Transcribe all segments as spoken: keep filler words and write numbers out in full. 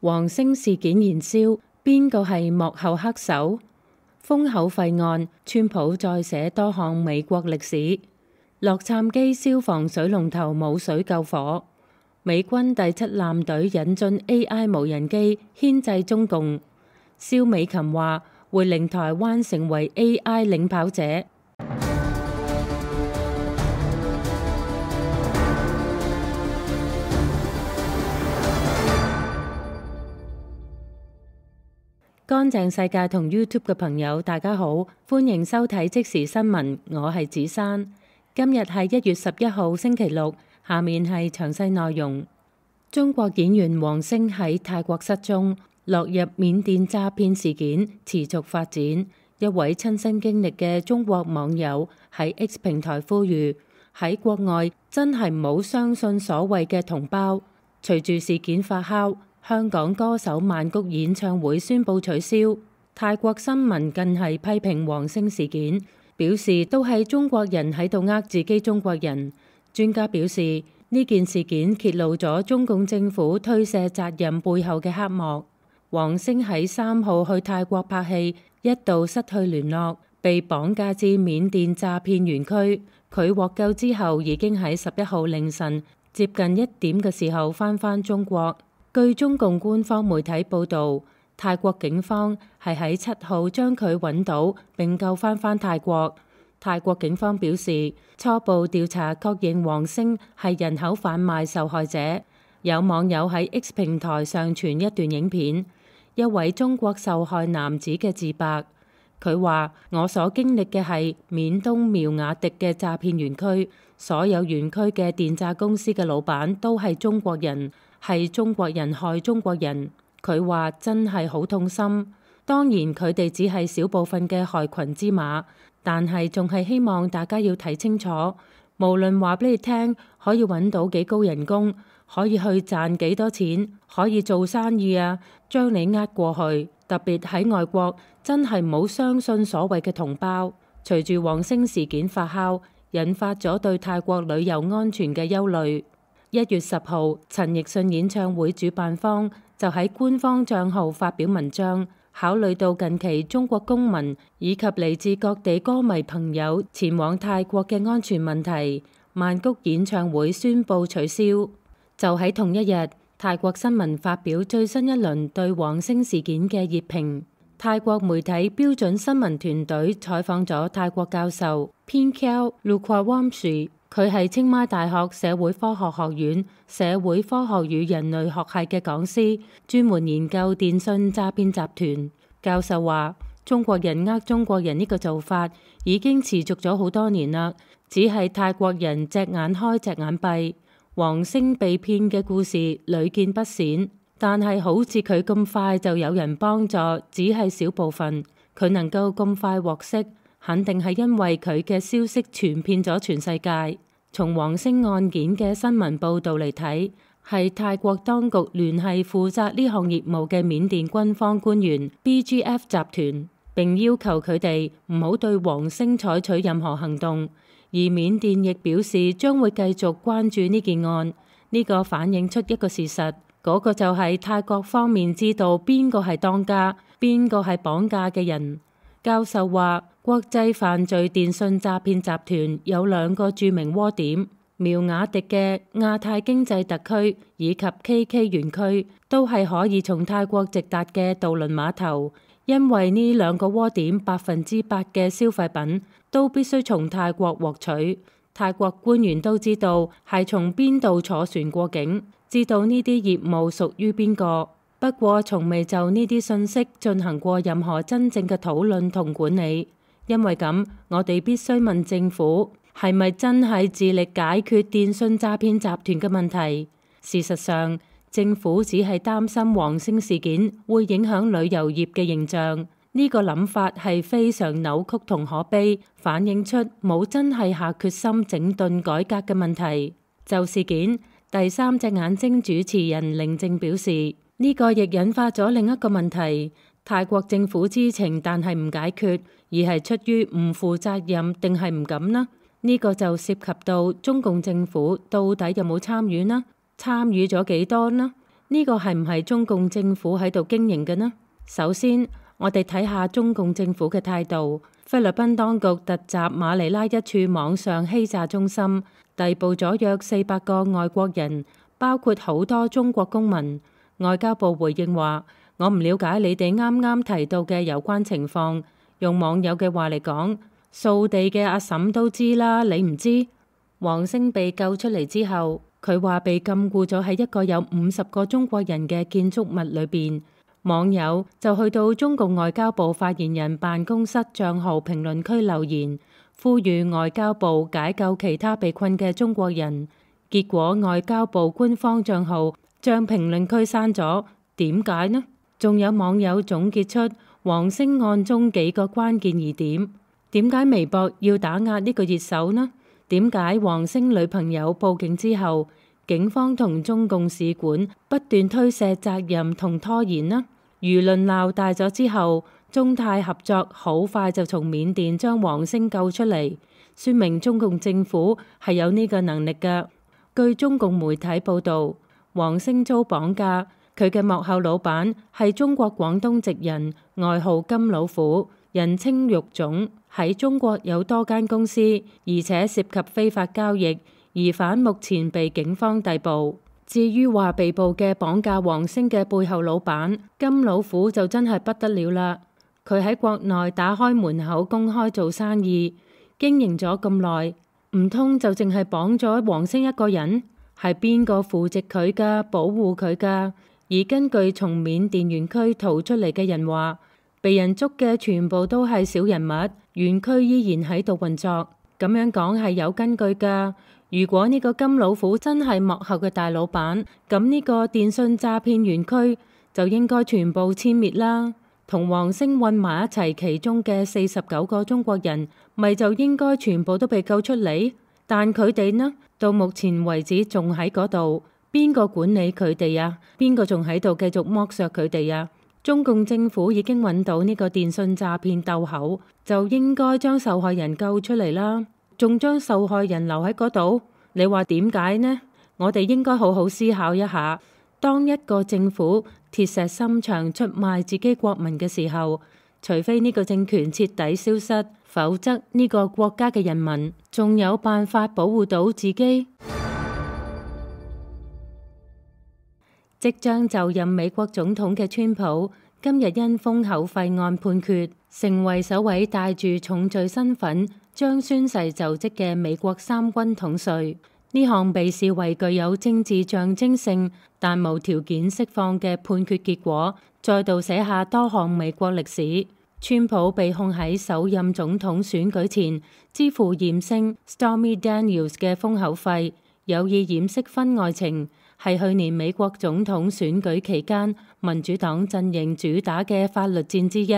黃星事件燃燒，邊個係幕後黑手？封口費案，川普再寫多項美國歷史。洛杉磯消防水龍頭冇水救火。美軍第七艦隊引進 A I 無人機牽制中共。蕭美琴話會令台灣成為 A I 領跑者。乾淨世界同 YouTube 嘅朋友，大家好，歡迎收睇即時新聞，我係子珊。今日係一月十一號星期六，下面係詳細內容。中國演員黃星喺泰國失蹤，落入緬甸詐騙事件持續發展。一位親身經歷嘅中國網友喺 X 平台呼籲，喺國外真係唔好相信所謂嘅同胞。隨住事件發酵，香港歌手曼谷演唱會宣布取消。泰國新聞更係批評黃星事件，表示都係中國人喺度呃自己中國人。專家表示，呢件事件揭露咗中共政府推卸責任背後嘅黑幕。黃星喺三號去泰國拍戲，一度失去聯絡，被綁架至緬甸詐騙園區。佢獲救之後，已經喺十一號凌晨接近一點嘅時候返返中國。據中共官方媒體報導，泰國警方係喺七號將佢揾到並救返返泰國。泰國警方表示，初步調查確認黃星係人口販賣受害者。有網友喺 X 平台上傳一段影片，一位中國受害男子嘅自白。佢話：我所經歷嘅係緬東苗瓦迪嘅詐騙園區，所有園區嘅電詐公司嘅老闆都係中國人。係中國人害中國人，佢話真係好痛心。當然佢哋只係少部分嘅害群之馬，但係仲係希望大家要睇清楚。無論話俾你聽，可以揾到幾高人工，可以去賺幾多錢，可以做生意啊，將你呃過去。特別喺外國，真係唔好相信所謂嘅同胞。隨住黃星事件發酵，引發咗對泰國旅遊安全嘅憂慮。一月十號，陳奕迅演唱會主辦方就喺官方帳號發表文章，考慮到近期中國公民以及嚟自各地歌迷朋友前往泰國嘅安全問題，曼谷演唱會宣布取消。就喺同一日，泰國新聞發表最新一輪對黃星事件嘅熱評。泰國媒體標準新聞團隊採訪咗泰國教授 Pinkau Lukwawamsi。佢係清邁大學社會科學學院社會科學與人類學系嘅講師，專門研究電信詐騙集團。教授話：中國人呃中國人呢個做法已經持續咗好多年啦，只係泰國人隻眼開隻眼閉。黃星被騙嘅故事屢見不鮮，但係好似佢咁快就有人幫助，只係少部分。佢能夠咁快獲釋，肯定係因為佢嘅消息傳遍咗全世界。從黃星案件嘅新聞報導嚟睇，係泰國當局聯繫負責呢項業務嘅緬甸軍方官員 B G F 集團，並要求佢哋唔好對黃星採取任何行動。而緬甸亦表示將會繼續關注呢件案。呢個反映出一個事實，嗰個就係泰國方面知道邊個係當家，邊個係綁架嘅人。教授話：國際犯罪電信詐騙集團有兩個著名窩點，苗瓦迪嘅亞太經濟特區以及 K K 園區，都係可以從泰國直達嘅渡輪碼頭。因為呢兩個窩點百分之百嘅消費品都必須從泰國獲取。泰國官員都知道係從邊度坐船過境，知道呢啲業務屬於邊個。不過從未就呢啲信息進行過任何真正嘅討論同管理。因為咁，我哋必須問政府係咪真係致力解決電信詐騙集團嘅問題。事實上，政府只係擔心黃星事件會影響旅遊業嘅形象。呢個諗法係非常扭曲同可悲，反映出冇真係下決心整頓改革嘅問題。就事件，第三隻眼睛主持人寧靜表示，呢個亦引發咗另一個問題。泰國政府知情但係唔解決，而係出於唔負責任定係唔敢呢？呢個就涉及到中共政府到底有冇參與呢？參與咗幾多呢？呢個係唔係中共政府喺度經營嘅呢？首先，我哋睇下中共政府嘅態度。菲律賓當局突襲馬尼拉一處網上欺詐中心，逮捕咗約四百個外國人，包括好多中國公民。外交部回應話：我唔了解你哋啱啱提到嘅有關情況。用網友嘅話嚟講，掃地嘅阿嬸都知啦，你唔知？黃星被救出嚟之後，佢話被禁錮咗喺一個有五十個中國人嘅建築物裏邊。網友就去到中共外交部發言人辦公室賬號評論區留言，呼籲外交部解救其他被困嘅中國人。結果外交部官方賬號將評論區刪咗，點解呢？仲有網友總結出黃星案中幾個關鍵疑點。點解微博要打壓呢個熱搜呢？點解黃星女朋友報警之後，警方同中共使館不斷推卸責任同拖延呢？輿論鬧大咗之後，中泰合作好快就從緬甸將黃星救出嚟，說明中共政府係有呢個能力㗎。據中共媒體報導，黃星遭綁架，佢嘅幕後老闆係中國廣東籍人，外號金老虎，人稱肉總，喺中國有多間公司，而且涉及非法交易。疑犯目前被警方逮捕。至於話被捕嘅綁架黃星嘅背後老闆金老虎就真係不得了啦！佢喺國內打開門口公開做生意，經營咗咁耐，唔通就淨係綁咗黃星一個人？係邊個扶植佢㗎、保護佢㗎？而根據從緬甸園區逃出嚟嘅人話，被人捉嘅全部都係小人物，園區依然喺度運作。咁樣講係有根據㗎。如果呢個金老虎真係幕後嘅大老闆，咁呢個電信詐騙園區就應該全部殲滅啦。同黃星混埋一齊，其中嘅四十九個中國人，咪就應該全部都被救出嚟？但佢哋呢，到目前為止仲喺嗰度，邊個管理佢哋啊？邊個仲喺度繼續剝削佢哋啊？中共政府已經揾到呢個電信詐騙竇口，就應該將受害人救出嚟啦。仲將受害人留喺嗰度，你話點解呢？我哋應該好好思考一下。當一個政府鐵石心腸出賣自己國民嘅時候，除非呢個政權徹底消失，否則呢個國家嘅人民仲有辦法保護到自己？即將就任美國總統嘅川普，今日因封口費案判決，成為首位帶住重罪身份將宣誓就職嘅美國三軍統帥。呢項被視為具有政治象徵性但無條件釋放嘅判決結果，再度寫下多項美國歷史。川普被控喺首任總統選舉前支付艷星 Stormy Daniels 嘅封口費，有意掩飾婚外情，係去年美國總統選舉期間民主黨陣營主打嘅法律戰之一。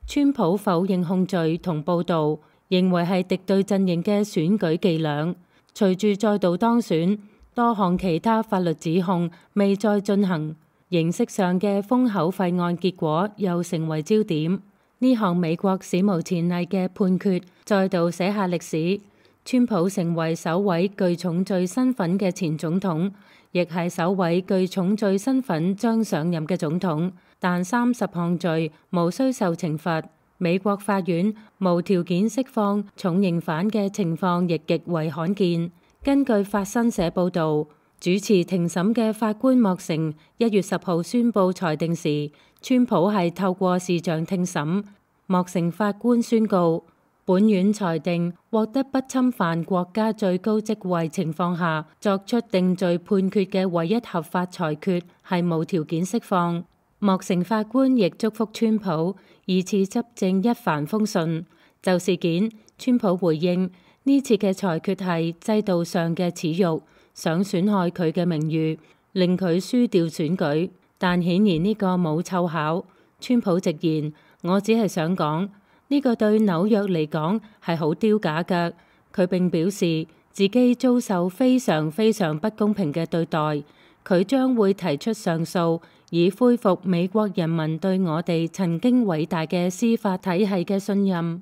川普否認控罪同報導，認為係敵對陣營嘅選舉伎倆。隨住再度當選，多項其他法律指控未再進行，形式上嘅封口費案結果又成為焦點。呢項美國史無前例嘅判決再度寫下歷史。川普成為首位具重罪身份嘅前總統，亦係首位具重罪身份將上任嘅總統。但三十項罪無需受懲罰。美國法院無條件釋放重刑犯嘅情況亦極為罕見。根據法新社報導，主持庭審嘅法官莫成一月十號宣布裁定時，川普係透過視像聽審。莫成法官宣告，本院裁定獲得不侵犯國家最高職位情況下作出定罪判決嘅唯一合法裁決係無條件釋放。莫成法官亦祝福川普二次執政一帆風順。就事件，川普回應呢次嘅裁決係制度上嘅恥辱，想損害佢嘅名譽，令佢輸掉選舉。但顯然呢個冇湊巧。川普直言：我只係想講呢個對紐約嚟講係好丟架㗎。佢並表示自己遭受非常非常不公平嘅對待，佢將會提出上訴，以恢復美國人民對我哋曾經偉大嘅司法體系嘅信任。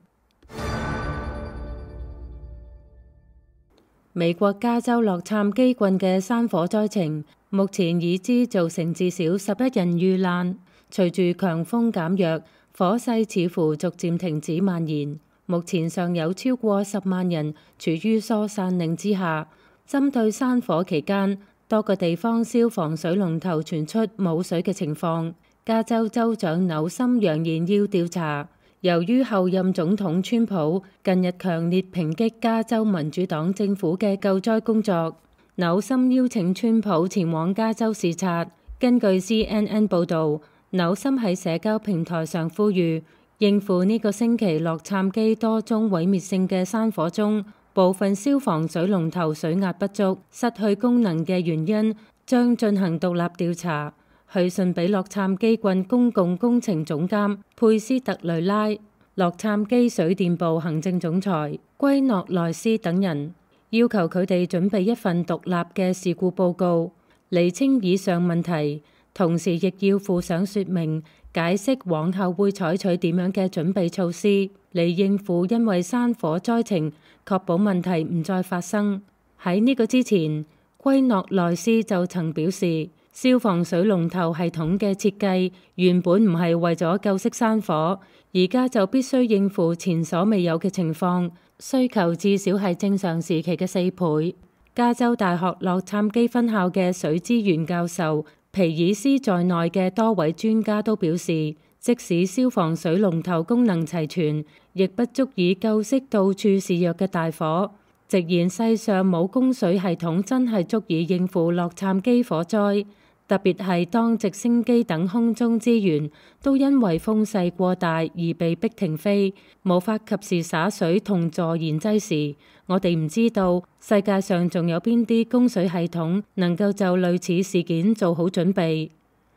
美國加州洛杉磯郡嘅山火災情，目前已知造成至少十一人遇難。隨住強風減弱，火勢似乎逐漸停止蔓延。目前尚有超過十萬人處於疏散令之下。針對山火期間，多個地方消防水龍頭傳出冇水嘅情況。加州州長紐森揚言要調查。由於後任總統川普近日強烈抨擊加州民主黨政府嘅救災工作，紐森邀請川普前往加州視察。根據 C N N 報導，紐森喺社交平台上呼籲應付呢個星期洛杉磯多宗毀滅性嘅山火中，部分消防水龍頭水壓不足、失去功能嘅原因，將進行獨立調查。去信俾洛杉磯郡公共工程總監佩斯特雷拉、洛杉磯水電部行政總裁圭諾萊斯等人，要求佢哋準備一份獨立嘅事故報告，釐清以上問題。同時亦要附上說明，解釋往後會採取點樣嘅準備措施嚟應付因為山火災情，確保問題唔再發生。喺呢個之前，圭諾萊斯就曾表示，消防水龍頭系統嘅設計原本唔係為咗救熄山火，而家就必須應付前所未有嘅情況，需求至少係正常時期嘅四倍。加州大學洛杉磯分校嘅水資源教授皮爾斯在內嘅多位專家都表示，即使消防水龍頭功能齊全，亦不足以救熄到處是弱嘅大火。直言世上冇供水系統真係足以應付洛杉磯火災，特別係當直升機等空中資源都因為風勢過大而被迫停飛，無法及時灑水同助燃劑時，我哋唔知道世界上仲有邊啲供水系統能夠就類似事件做好準備。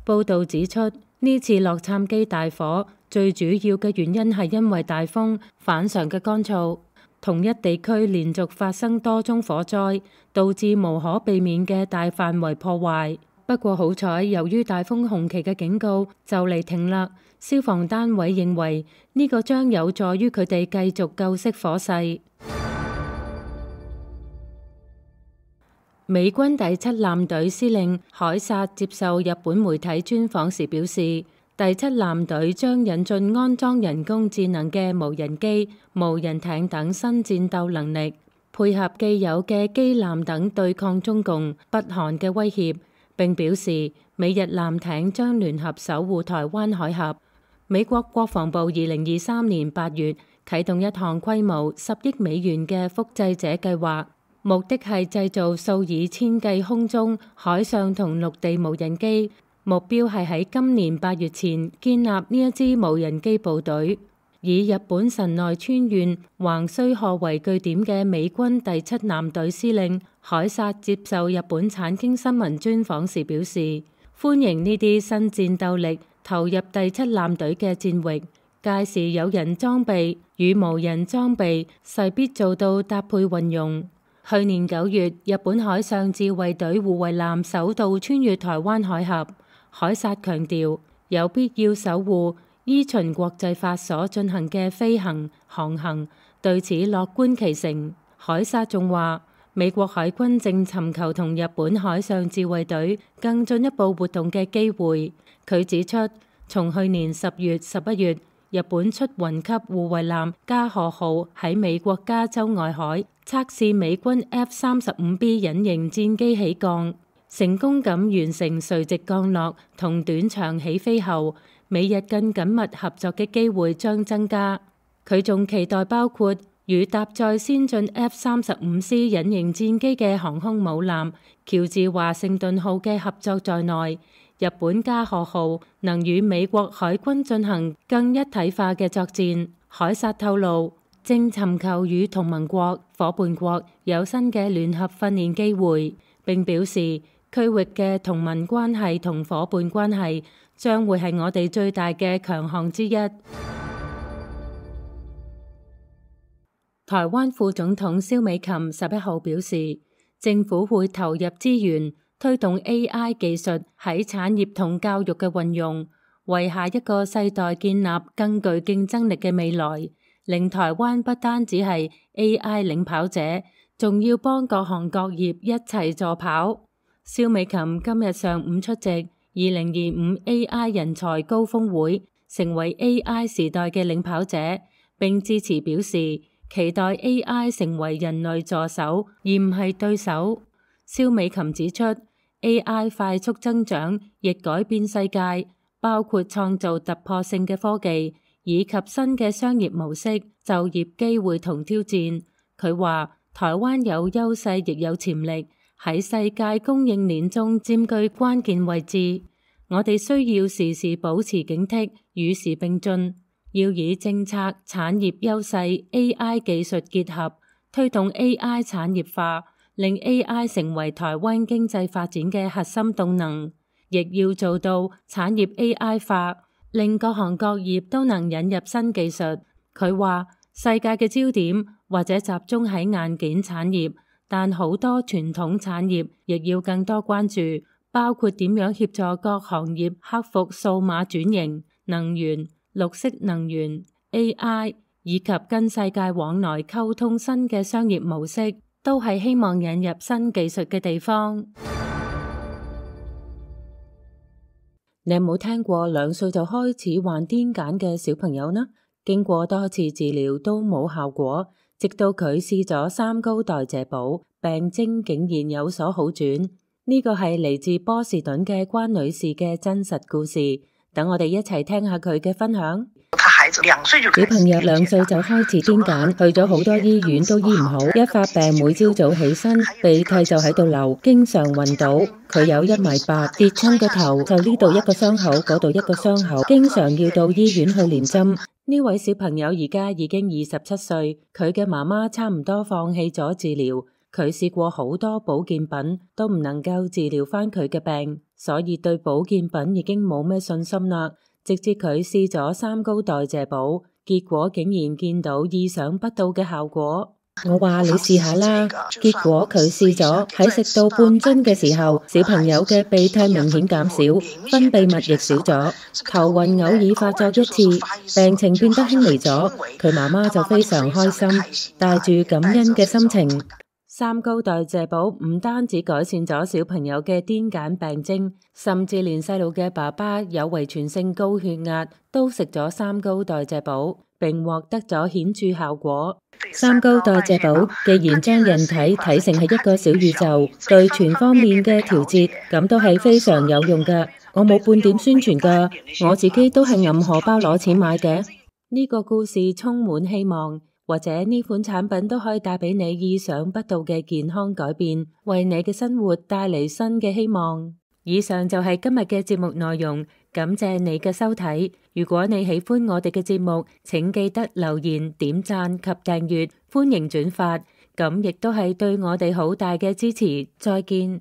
報導指出，呢次洛杉磯大火最主要嘅原因係因為大風反常嘅乾燥，同一地區連續發生多宗火災，導致無可避免嘅大範圍破壞。不過好彩，由於大風紅旗嘅警告就嚟停啦，消防單位認為呢個將有助於佢哋繼續救熄火勢。美軍第七艦隊司令凱撒接受日本媒體專訪時表示，第七艦隊將引進安裝人工智能嘅無人機、無人艇等新戰鬥能力，配合既有嘅機艦等對抗中共、北韓嘅威脅。並表示，美日艦艇將聯合守護台灣海峽。美國國防部二零二三年八月啟動一項規模十億美元嘅複製者計劃，目的係製造數以千計空中、海上同陸地無人機，目標係喺今年八月前建立呢一支無人機部隊。以日本神奈川縣橫須賀為據點嘅美軍第七艦隊司令凱撒接受日本產經新聞專訪時表示，歡迎呢啲新戰鬥力投入第七艦隊嘅戰域，屆時有人裝備與無人裝備勢必做到搭配運用。去年九月，日本海上自衛隊護衛艦首度穿越台灣海峽，凱撒強調有必要守護依循國際法所進行嘅飛行航行，對此樂觀其成。凱撒仲話，美國海軍正尋求同日本海上自衛隊更進一步活動嘅機會。佢指出，從去年十月、十一月，日本出雲級護衛艦加賀號喺美國加州外海測試美軍 F 三十五 B 隱形戰機起降，成功咁完成垂直降落同短場起飛後，美日更緊密合作嘅機會將增加。佢仲期待包括與搭載先進 F 三十五 C 隱形戰機嘅航空母艦喬治華盛頓號嘅合作在內，日本加賀號能與美國海軍進行更一體化嘅作戰。凱撒透露，正尋求與同盟國、夥伴國有新嘅聯合訓練機會，並表示區域嘅同盟關係同夥伴關係將會係我哋最大嘅強項之一。台灣副總統蕭美琴十一號表示，政府會投入資源推動 A I 技術喺產業同教育嘅運用，為下一個世代建立更具競爭力嘅未來，令台灣不單只係 A I 領跑者，仲要幫各行各業一齊助跑。蕭美琴今日上午出席二零二五 A I 人才高峰會，成為 A I 時代嘅領跑者，並致辭表示期待 A I 成為人類助手而唔係對手。蕭美琴指出 A I 快速增長亦改變世界，包括創造突破性嘅科技以及新嘅商業模式、就業機會同挑戰。佢話台灣有優勢亦有潛力，喺世界供應鏈中佔據關鍵位置。我哋需要時時保持警惕，與時並進，要以政策、產業優勢、A I 技術結合，推動 A I 產業化，令 A I 成為台灣經濟發展嘅核心動能，亦要做到產業 A I 化，令各行各業都能引入新技術。佢話世界嘅焦點或者集中喺硬件產業，但好多傳統產業亦要更多關注，包括點樣協助各行業克服數碼轉型、能源、綠色能源、A I 以及跟世界往來溝通新嘅商業模式，都係希望引入新技術嘅地方。你有冇聽過兩歲就開始患癲癇嘅小朋友呢？經過多次治療都冇效果，直到佢試咗三高代謝寶，病徵竟然有所好轉。呢個係嚟自波士頓嘅關女士嘅真實故事，等我哋一齊聽下佢嘅分享。小朋友兩歲就開始癲癇，去咗好多醫院都醫唔好，一發病每朝早起身鼻涕就喺度流，經常暈倒。佢有一米八，跌親個頭就呢度一個傷口，嗰度一個傷口，經常要到醫院去連針。呢位小朋友而家已經二十七歲，佢嘅媽媽差唔多放棄咗治療，佢試過好多保健品都唔能夠治療返佢嘅病，所以對保健品已經冇咩信心啦。直至佢試咗三高代謝寶，結果竟然見到意想不到嘅效果。我話你試下啦，結果佢試咗，喺食到半樽嘅時候，小朋友嘅鼻涕明顯減少，分泌物亦少咗，頭暈偶爾發作一次，病情變得輕微咗。佢媽媽就非常開心，帶住感恩嘅心情。三高代謝寶唔單止改善咗小朋友嘅癲癇病徵，甚至連細路嘅爸爸有遺傳性高血壓都食咗三高代謝寶，並獲得咗顯著效果。三高代謝寶既然將人體睇成係一個小宇宙，對全方面嘅調節，咁都係非常有用㗎。我冇半點宣傳㗎，我自己都係揞荷包攞錢買嘅。呢個故事充滿希望。或者呢款產品都可以帶俾你意想不到嘅健康改變，為你嘅生活帶嚟新嘅希望。以上就係今日嘅節目內容，感謝你嘅收睇。如果你喜歡我哋嘅節目，請記得留言、點讚及訂閱，歡迎轉發，咁亦都係對我哋好大嘅支持。再見。